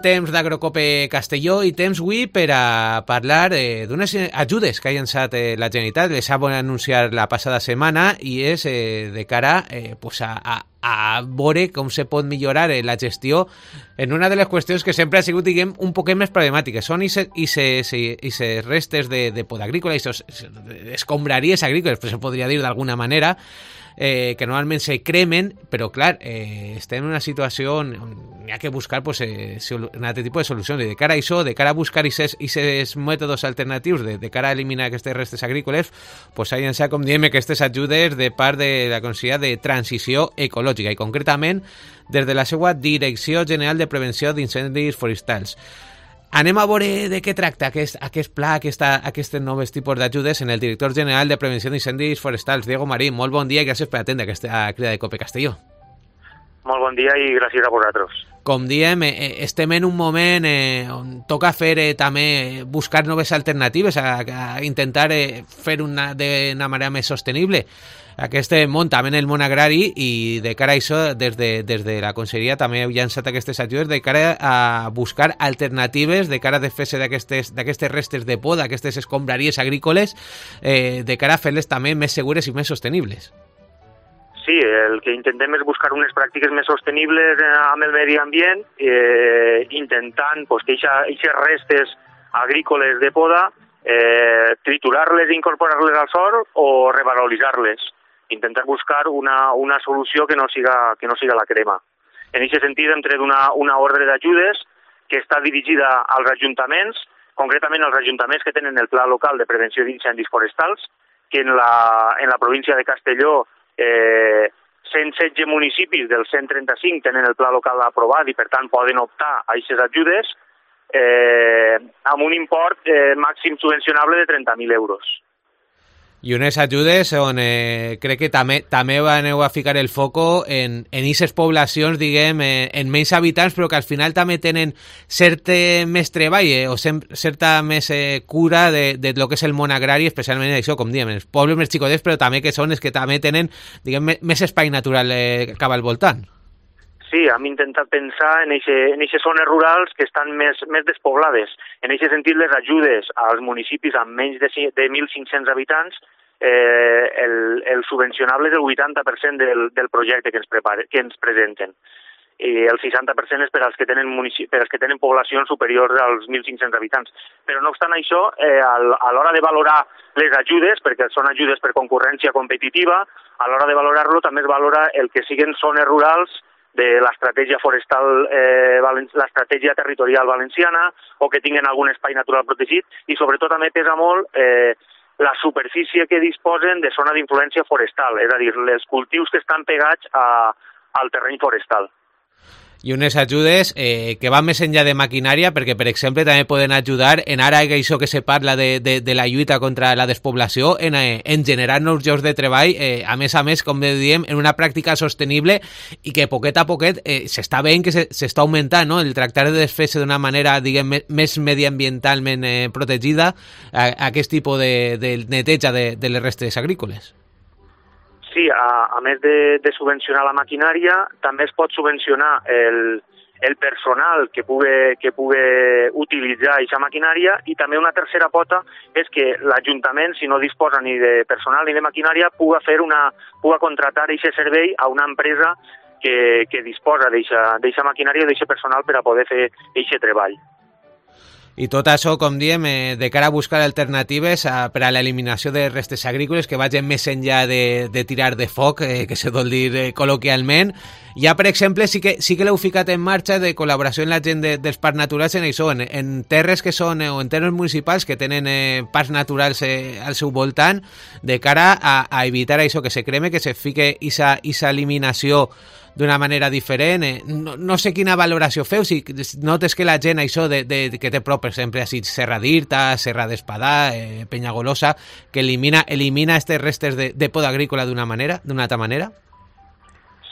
temps d'Agrocope Castelló i temps avui per a parlar d'unes ajudes que ha llançat la Generalitat. Les ha anunciat la passada setmana i és de cara a veure com se pot millorar la gestió en una de les qüestions que sempre ha sigut, diguem, un poquet més problemàtiques. Són aquestes restes de poda agrícola, aquestes escombraries agrícoles, se podria dir d'alguna manera, que normalment se cremen, però clar, estem en una situació on hi ha que buscar un altre tipus de solucions, i de cara a això, de cara a buscar aquests mètodes alternatius, de cara a eliminar aquestes restes agrícoles, s'ha llançat, com diem, aquestes ajudes de part de la Conselleria de Transició Ecològica, i concretament des de la seva Direcció General de Prevenció d'Incendis Forestals. Anem a veure de què tracta aquest pla, aquests nous tipus d'ajudes en el director general de Prevenció d'Incendis Forestals, Diego Marín. Molt bon dia i gràcies per atendre aquesta crida de Cope Castelló. Molt bon dia i gràcies a vosaltres. Com diem, estem en un moment on toca fer també buscar noves alternatives, a intentar fer d'una manera més sostenible aquest món, també en el món agrari, i de cara a això, des de la Conselleria també heu llançat aquestes ajudes de cara a buscar alternatives, de cara a desfer-se d'aquestes restes de poda, aquestes escombraries agrícoles, de cara a fer-les també més segures i més sostenibles. Sí, el que intentem és buscar unes pràctiques més sostenibles amb el medi ambient, intentant que aquestes restes agrícoles de poda triturar-les i incorporar-les al sòl o revaloritzar-les. Intentar buscar una solució que no siga la crema. En aquest sentit hem tret una ordre d'ajudes que està dirigida als ajuntaments, concretament als ajuntaments que tenen el Pla Local de Prevenció d'Incendis Forestals, que en la província de Castelló 116 municipis dels 135 tenen el Pla Local aprovat i per tant poden optar a aquestes ajudes amb un import màxim subvencionable de 30.000 euros. I unes ajudes on crec que també aneu a ficar el foco en aquestes poblacions, diguem, en menys habitants, però que al final també tenen cert més treball o certa més cura de lo que és el món agrari, especialment això, com diem, els pobles més xicotets, però també que són els que també tenen, diguem, més espai natural cap al voltant. Sí, hem intentat pensar en aquestes zones rurals que estan més despoblades. En aquest sentit, les ajudes als municipis amb menys de 1.500 habitants, el subvencionable és el 80% del projecte que ens presenten. I el 60% és per als que tenen poblacions superiors als 1.500 habitants. Però no obstant això, a l'hora de valorar les ajudes, perquè són ajudes per concurrència competitiva, a l'hora de valorar-lo també es valora el que siguin zones rurals de l'estratègia forestal, l'estratègia territorial valenciana, o que tinguin algun espai natural protegit, i sobretot també pesa molt la superfície que disposen de zona d'influència forestal, és a dir, els cultius que estan pegats al terreny forestal. I unes ajudes que van més enllà de maquinària, perquè, per exemple, també poden ajudar en ara això que se parla de la lluita contra la despoblació, en generar nous llocs de treball, a més, com diem, en una pràctica sostenible, i que poquet a poquet s'està veient que s'està augmentant, no? El tractar de desfer-se d'una manera, diguem, més mediambientalment protegida, aquest tipus de neteja de les restes agrícoles. Sí, a més de subvencionar la maquinària, també es pot subvencionar el personal que pugui utilitzar aquesta maquinària, i també una tercera pota és que l'Ajuntament, si no disposa ni de personal ni de maquinària, puga contratar aquest servei a una empresa que disposa d'aquesta maquinària o d'aquest personal per a poder fer aquest treball. I tot això, com diem, de cara a buscar alternatives per a l'eliminació de restes agrícoles que vagin més enllà de tirar de foc, que se vol dir col·loquialment. Ja, per exemple, sí que l'heu ficat en marxa de col·laboració amb la gent dels parcs naturals en això, en terres que són, o en terres municipals que tenen parcs naturals al seu voltant, de cara a evitar això, que se creme, que se fique aquesta eliminació d'una manera diferent. No sé quina valoració feu, si notes que la gent, això que té prop, per exemple, així, Serra d'Irta, Serra d'Espadà, Penyagolosa, que elimina aquestes restes de poda agrícola d'una altra manera?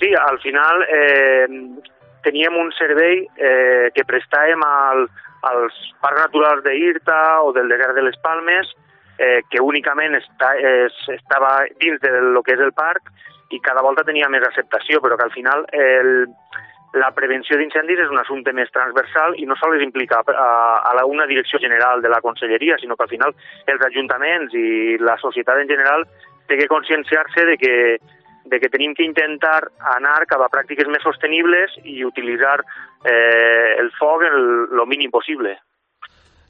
Sí, al final teníem un servei que prestàvem als parcs naturals d'Irta o del desert de les Palmes, que únicament estava dins del que és el parc, i cada volta tenia més acceptació, però que al final la prevenció d'incendis és un assumpte més transversal i no sols implica a una direcció general de la conselleria, sinó que al final els ajuntaments i la societat en general té que conscienciar-se de que tenim que intentar anar cap a pràctiques més sostenibles i utilitzar el foc el mínim possible.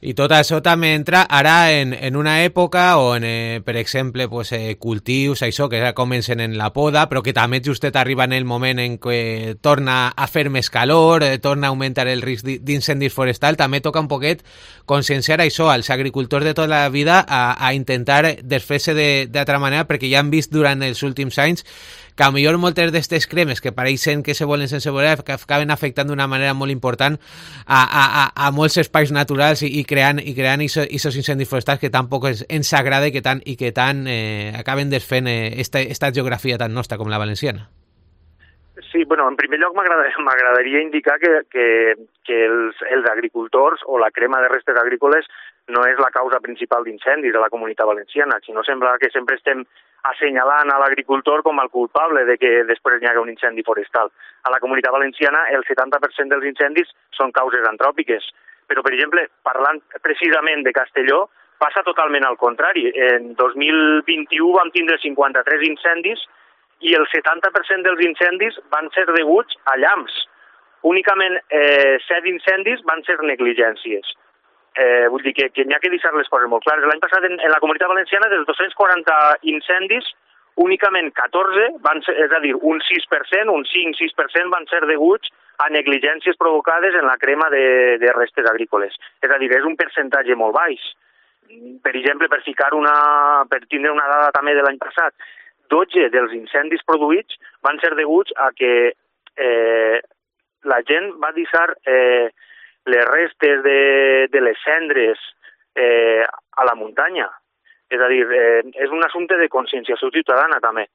I tot això també entra ara en una època on, per exemple, pues, cultius, això, que ja comencen en la poda, però que també justet arriba en el moment en què torna a fer més calor, torna a augmentar el risc d'incendis forestal, també toca un poquet conscienciar això als agricultors de tota la vida a intentar desfer-se d'altra manera, perquè ja han vist durant els últims anys que a millor moltes d'aquestes cremes que pareixen que se volen sense voler acaben afectant d'una manera molt important a molts espais naturals i creant aquests incendis forestals que tampoc ens agrada i que tant acaben desfent esta geografia tan nostra com la valenciana. Sí, bueno, en primer lloc m'agradaria indicar que els agricultors o la crema de restes agrícoles no és la causa principal d'incendis a la Comunitat Valenciana, sinó sembla que sempre estem assenyalant a l'agricultor com el culpable de que després n'hi hagi un incendi forestal. A la Comunitat Valenciana el 70% dels incendis són causes antròpiques, però, per exemple, parlant precisament de Castelló, passa totalment al contrari. En 2021 vam tindre 53 incendis i el 70% dels incendis van ser deguts a llamps. Únicament 7 incendis van ser negligències. Vull dir que n'hi ha que deixar les coses molt clares. L'any passat en la Comunitat Valenciana dels 240 incendis, únicament 14, és a dir, un 6%, un 5-6% van ser deguts a negligències provocades en la crema de restes agrícoles. És a dir, és un percentatge molt baix. Per exemple, per tindre una dada també de l'any passat, 12 dels incendis produïts van ser deguts a que la gent va deixar les restes de les cendres a la muntanya. És a dir, és un assumpte de conscienciació ciutadana també.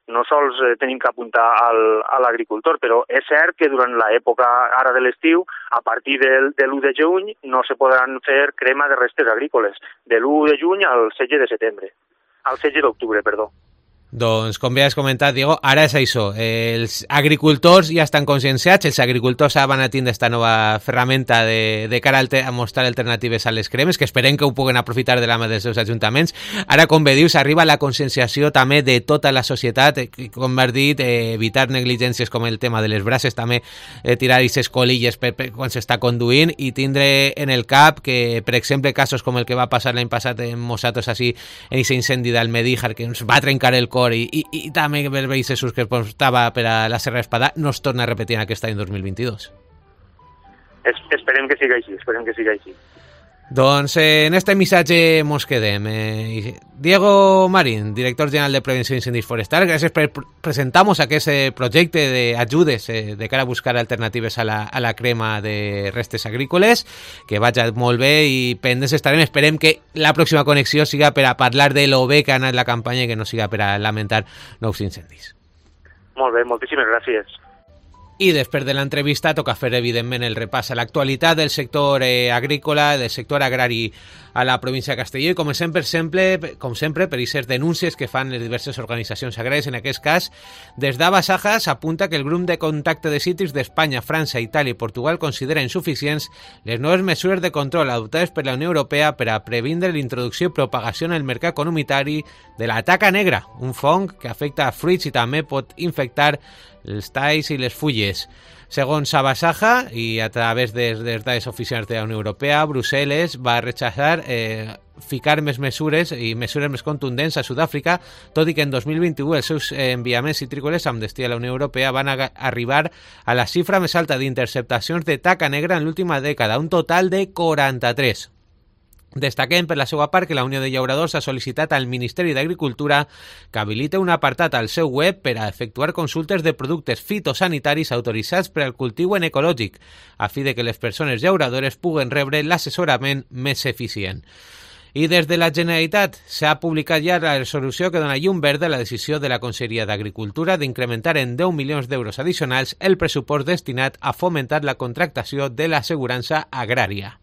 No sols tenim que apuntar a l'agricultor, però és cert que durant l'època ara de l'estiu, a partir de l'1 de juny, no se podran fer crema de restes agrícoles. De l'1 de juny al 16 de setembre. Al 16 d'octubre, perdó. Doncs, com bé has comentat, Diego, ara és això. Els agricultors ja estan conscienciats, els agricultors van a tindre aquesta nova ferramenta de cara a mostrar alternatives a les cremes, que esperem que ho puguen aprofitar de la mà dels seus ajuntaments. Ara, com bé dius, arriba la conscienciació també de tota la societat, com has dit, evitar negligències com el tema de les braces, també tirar aquestes colilles quan s'està conduint i tindre en el cap que, per exemple, casos com el que va passar l'any passat en Mosatos, així, en aquest incendi d'Almedíjar, que ens va trencar el cor i també el veí Jesús que estava per a la Serra d'Espadà, no es torna a repetir en aquest any 2022. Esperem que siga així. Doncs en este missatge mos quedem. Diego Marín, director general de Prevenció d'Incendis Forestals, gràcies per presentar-nos aquest projecte d'ajudes de cara a buscar alternatives a la crema de restes agrícoles, que vagi molt bé i pendents estarem. Esperem que la pròxima connexió siga per a parlar de lo bé que ha anat la campanya i que no siga per a lamentar nous incendis. Molt bé, moltíssimes gràcies. I després de l'entrevista toca fer, evidentment, el repàs a l'actualitat del sector agrícola, del sector agrari a la província de Castelló, i com sempre, per aquestes denúncies que fan les diverses organitzacions agràries. En aquest cas, des d'Abasaja s'apunta que el grup de contacte de cítrics d'Espanya, França, Itàlia i Portugal considera insuficients les noves mesures de control adoptades per la Unió Europea per a previndre l'introducció i propagació en el mercat comunitari de la taca negra, un fong que afecta a fruits i també pot infectar els talls i les fulles. Segons Abasaja, i a través de les dades oficials de la Unió Europea, Brussel·les va rechazar ficar més mesures i mesures més contundents a Sud-àfrica, tot i que en 2021 els seus enviaments citrícoles amb destí a la Unió Europea van arribar a la xifra més alta d'interceptacions de taca negra en l'última dècada, un total de 43. Destaquem per la seva part que la Unió de Llauradors ha sol·licitat al Ministeri d'Agricultura que habilite un apartat al seu web per a efectuar consultes de productes fitosanitaris autoritzats per al cultiu en ecològic, a fi de que les persones llauradores puguen rebre l'assessorament més eficient. I des de la Generalitat s'ha publicat ja la resolució que dona llum verda a la decisió de la Conselleria d'Agricultura d'incrementar en 10 milions d'euros addicionals el pressupost destinat a fomentar la contractació de l'assegurança agrària.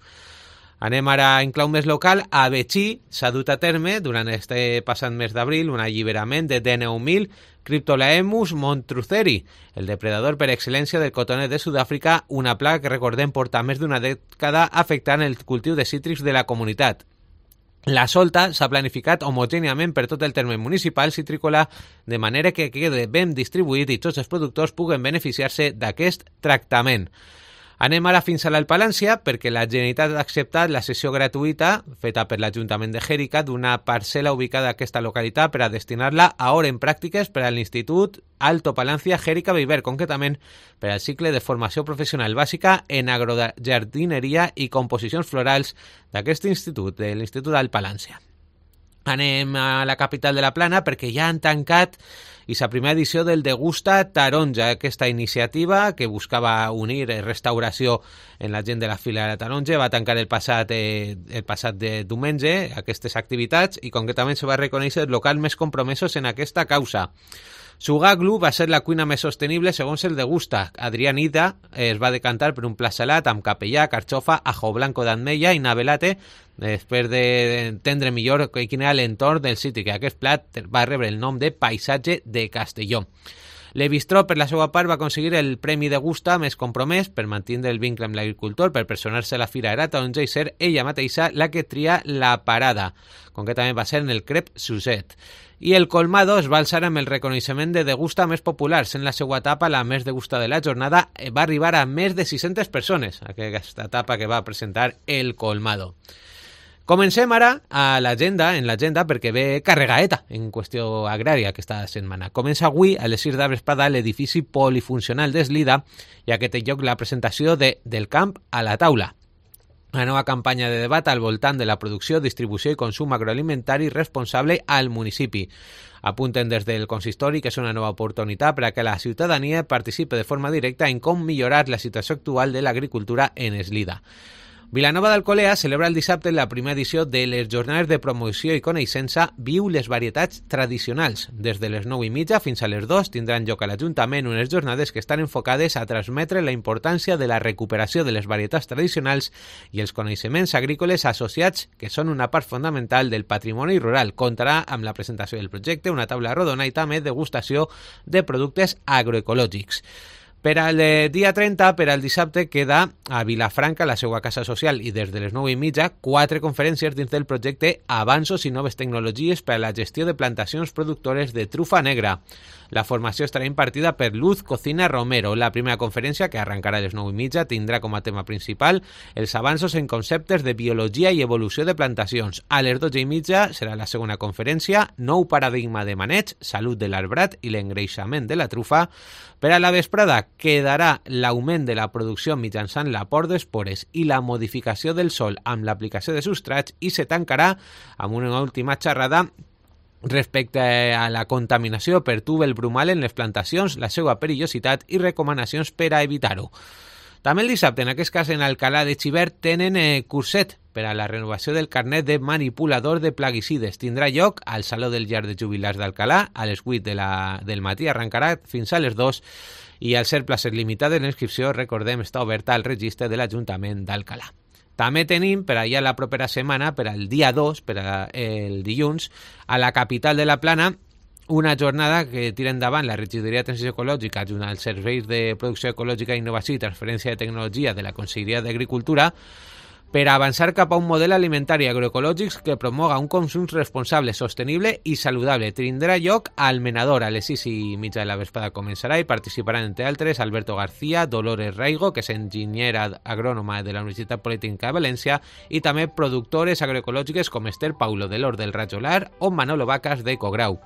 Anem ara en clau més local. A Betxí s'ha dut a terme durant este passat mes d'abril un alliberament de 19.000 Cryptolaemus montruceri, el depredador per excel·lència del cotoner de Sud-àfrica, una plaga que recordem porta més d'una dècada afectant el cultiu de cítrics de la comunitat. La solta s'ha planificat homogèniament per tot el terme municipal citrícola de manera que quede ben distribuït i tots els productors puguen beneficiar-se d'aquest tractament. Anem ara fins a l'Alpalància perquè la Generalitat ha acceptat la cessió gratuïta feta per l'Ajuntament de Xèrica d'una parcel·la ubicada a aquesta localitat per a destinar-la a hores en pràctiques per a l'Institut Alto Palancia Xèrica Viver, concretament per al cicle de formació professional bàsica en agrojardineria i composicions florals d'aquest institut, de l'Institut Alpalància. Anem a la capital de la Plana perquè ja han tancat la primera edició del Degusta Taronja, aquesta iniciativa que buscava unir restauració en la gent de la Fira de la Taronja. Va tancar el passat de diumenge aquestes activitats i concretament se va reconèixer els locals més compromesos en aquesta causa. Sugaglu va ser la cuina més sostenible segons el Degusta. Adrià Nida es va decantar per un plat salat amb capellà, carxofa, ajo blanco d'ametlla i navelate després d'entendre millor quin era l'entorn del cítric. Aquest plat va rebre el nom de Paisatge de Castelló. Le Bistró, per la seva part, va aconseguir el Premi Degusta més compromès per mantenir el vincle amb l'agricultor, per personar-se a la Fira de la Taronja i ser ella mateixa la que tria la parada. Concretament va ser en el Crep Suset. I el Colmado es va alçar amb el reconeixement de Degusta més popular, sent la seva etapa la més degusta de la jornada. Va arribar a més de 600 persones, aquesta etapa que va presentar el Colmado. Comencem ara en l'agenda, perquè ve carregaeta en qüestió agrària aquesta setmana. Comença avui a les 6 de vesprada l'edifici polifuncional d'Eslida, ja que té lloc la presentació de Del camp a la taula, una nova campanya de debat al voltant de la producció, distribució i consum agroalimentari responsable al municipi. Apunten des del consistori que és una nova oportunitat per a que la ciutadania participi de forma directa en com millorar la situació actual de l'agricultura en Eslida. Vilanova d'Alcolea celebra el dissabte la primera edició de les jornades de promoció i coneixença Viu les varietats tradicionals. Des de les 9:30 fins a les 2 tindran lloc a l'Ajuntament unes jornades que estan enfocades a transmetre la importància de la recuperació de les varietats tradicionals i els coneixements agrícoles associats, que són una part fonamental del patrimoni rural. Comptarà amb la presentació del projecte, una taula rodona i també degustació de productes agroecològics. Per al dia 30, per al dissabte, queda a Vilafranca la seva casa social i des de les 9:30 4 conferències dins del projecte Avanços i noves tecnologies per a la gestió de plantacions productores de trufa negra. La formació estarà impartida per Luz Cocina Romero. La primera conferència, que arrencarà a les 9:30, tindrà com a tema principal els avanços en conceptes de biologia i evolució de plantacions. A les 12:30 serà la segona conferència, Nou paradigma de maneig, salut de l'arbrat i l'engreixament de la trufa. Per a la vesprada quedarà l'augment de la producció mitjançant l'aport d'espores i la modificació del sòl amb l'aplicació de substrats i se tancarà amb una última xerrada respecte a la contaminació per túbel brumal en les plantacions, la seva perillositat i recomanacions per a evitar-ho. També el dissabte, en aquest cas en Alcalà de Xivert, tenen curset per a la renovació del carnet de manipulador de plaguicides. Tindrà lloc al Saló del Llar de Jubilats d'Alcalà a les 8 del matí, arrencarà fins a les 2 i al ser places limitades l'inscripció, recordem, està oberta al registre de l'Ajuntament d'Alcalà. També tenim per allà la propera setmana, per al dia 2, per el dilluns, a la capital de la Plana, una jornada que tira endavant la Regidoria de Transició Ecològica junt als Serveis de Producció Ecològica, Innovació i Transferència de Tecnologia de la Conselleria d'Agricultura per avançar cap a un model alimentari agroecològic que promoga un consum responsable, sostenible i saludable. Tindrà lloc al Menador a les 6:30 de la vesprada començarà i participaran, entre altres, Alberto García, Dolores Raigo, que és enginyera agrònoma de la Universitat Politècnica de València, i també productores agroecològiques com Esther Paulo de l'Hort del Rajolar o Manolo Vacas de Cograu.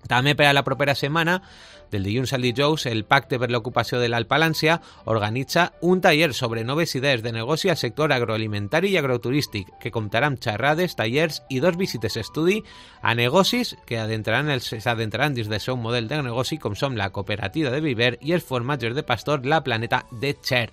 També per a la propera setmana, del dilluns al dijous, el Pacte per l'Ocupació de l'Alpalància organitza un taller sobre noves idees de negoci al sector agroalimentari i agroturístic, que comptarà amb xerrades, tallers i 2 visites estudi a negocis que s'adentraran dins del seu model de negoci, com som la Cooperativa de Viver i els formatges de pastor La Planeta de Xert.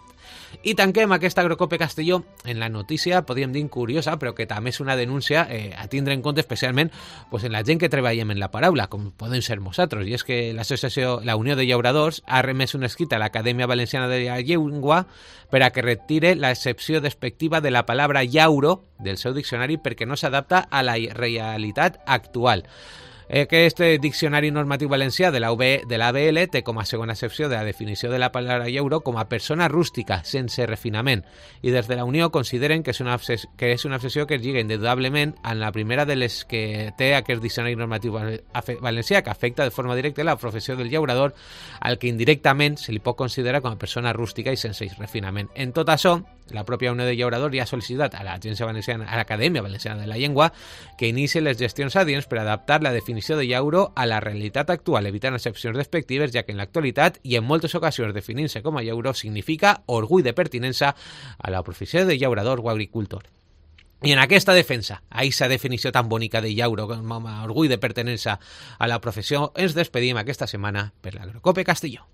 I tanquem aquesta Agrocope Castelló en la notícia, podríem dir curiosa, però que també és una denúncia a tindre en compte especialment en la gent que treballem en la paraula, com podem ser nosaltres, i és que l'Associació la Unió de Llauradors ha remès un escrit a l'Acadèmia Valenciana de la Llengua per a que retire l'excepció despectiva de la paraula llauro del seu diccionari perquè no s'adapta a la realitat actual. Aquest diccionari normatiu valencià de l'ABL té com a segona excepció de la definició de la paraula llauro com a persona rústica, sense refinament, i des de la Unió consideren que és una excepció que es lliga indudablement en la primera de les que té aquest diccionari normatiu valencià, que afecta de forma directa la professió del llaurador, al que indirectament se li pot considerar com a persona rústica i sense refinament. En tot això, la pròpia Unió de Llauradors ja ha sol·licitat a l'Agència Valenciana, a l'Acadèmia Valenciana de la Llengua, que inicie les gestions adients per adaptar la definició de llauro a la realitat actual, evitant excepcions despectives, ja que en l'actualitat i en moltes ocasions definir-se com a llauro significa orgull de pertinença a la professió de llaurador o agricultor. I en aquesta defensa, a aquesta definició tan bonica de llauro com a orgull de pertinença a la professió, ens despedim aquesta setmana per l'Agrocope Castelló.